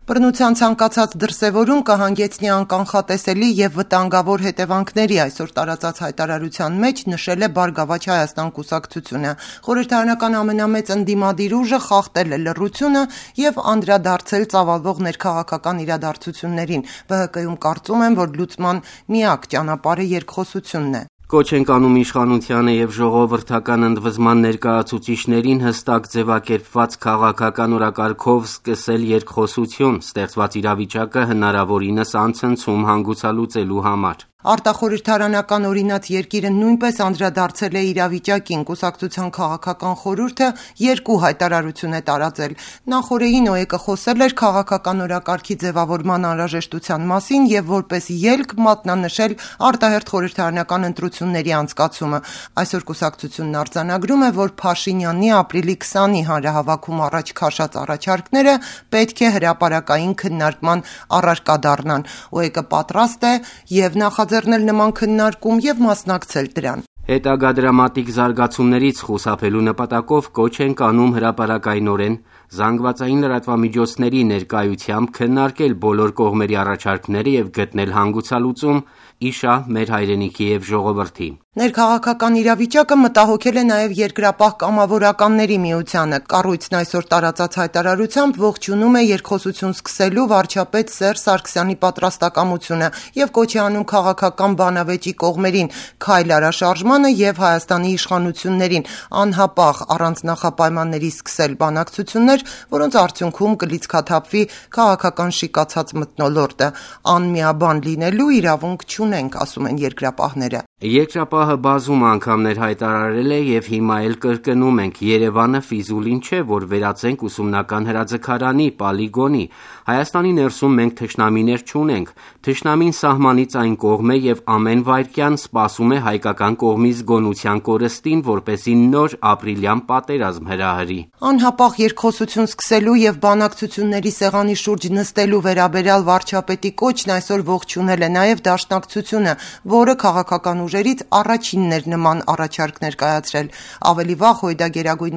Բռնության ցանկացած դրսևորում կհանգեցնի անկանխատեսելի եւ վտանգավոր հետևանքների, այսօր տարածած հայտարարության մեջ նշել է Բարգավաճ Հայաստան կուսակցությունը։ Խորհրդարանական ամենամեծ ընդդիմադիր ուժը խախտել է լռությունը եւ անդրադարձել ծավալվող ներքաղաքական իրադարձություններին։ ԲՀԿ-ում կարծում են, որ լուծման միակ ճանապարհը երկխոսությունն է։ Կոչ ենք անում իշխանությանը եւ ժողովրդական ընդվզման ներկայացուցիչներին հստակ ձևակերպված քաղաքական օրակարգով սկսել երկխոսություն, ստեղծված իրավիճակը հնարավորինս անցնցում հանգուցալուծելու համար։ Արտախորհրդարանական օրինաց երկիրը նույնպես անդրադարձել է իրավիճակին։ Կուսակցության քաղաքական խորհուրդը երկու հայտարարություն է տարածել։ Նախորդին ՕԵԿ-ը խոսել էր քաղաքական օրակարգի ձևավորման անհրաժեշտության մասին եւ որպես ելք մատնանշել արտահերթ խորհրդարանական ընտրությունների անցկացումը։ Այսօր կուսակցությունն արձանագրում է, որ Փաշինյանի ապրիլի 20-ի հանրահավաքում առաջ քաշած առաջարկները պետք է հրապարակային քննարկման առարկա դառնան։ ՕԵԿ-ը պատրաստ է եւ նախաձեռնել նման քննարկում եւ մասնակցել դրան։ Հետագա դրամատիկ զարգացումներից խուսափելու նպատակով կոչ ենք անում հրապարակայնորեն զանգվածային լրատվամիջոցների ներկայությամբ քննարկել բոլոր կողմերի առաջարկները եւ գտնել հանգուցալուծում իշահ մեր հայրենիքի եւ ժողովրդի։ Ներքաղաքական իրավիճակը մտահոգել է նաև Երկրապահ կամավորականների միությանը։ Կառույցն այսօր տարածած հայտարարությամբ ողջունում է երկխոսություն սկսելու վարչապետ Սերժ Սարգսյանի պատրաստակամությունը եւ կոչ է անում քաղաքական բանավեճի կողմերին քայլ արաշարժմանը եւ Հայաստանի իշխանություններին անհապաղ առանց նախապայմանների սկսել բանակցություններ, որոնց արդյունքում կլիցքաթափվի քաղաքական շիկացած մթնոլորտը։ Անմիաբան լինելու իրավունք չունենք, ասում են երկրապահները։ Երկրապահը բազում անգամներ հայտարարել է եւ հիմա էլ կրկնում ենք. Երևանը ֆիզուլին չէ, որ վերածենք ուսումնական հրաձգարանի, պոլիգոնի։ Հայաստանի ներսում մենք թշնամիներ չունենք։ Թշնամին սահմանից այն կողմ է եւ ամեն վայրկյան սպասում է հայկական կողմից գոնության կորստին, որպեսզի նոր ապրիլյան պատերազմ հրահրի։ Անհապաղ երկխոսություն սկսելու եւ բանակցությունների սեղանի շուրջ նստելու վերաբերյալ վարչապետի կոչն այսօր ողջունել է նաեւ Դաշնակցությունը, որը քաղաքական ուժերից առաջինն էր նման առաջարկներ կայացրել։ Ավելի վաղ Հույդա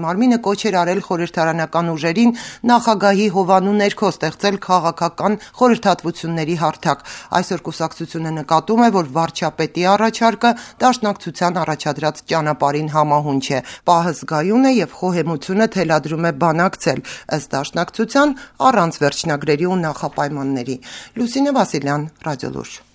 Մարմինը կոչ էր արել խորհրդարանական ուժերին նախագահի հովանու ներքո ստեղծել քաղաքական խորհրդատվությունների հարթակ։ Այսօր կուսակցությունը նկատում է, որ վարչապետի առաջարկը Դաշնակցության առաջադրած ճանապարհին համահունչ է։ Պահը զգայուն է եւ խոհեմությունը թելադրում է բանակցել, ըստ Դաշնակցության, առանց վերջնագրերի ու նախապայմանների։ Լուսինե Վասիլյան, Ռադիոլուրջ։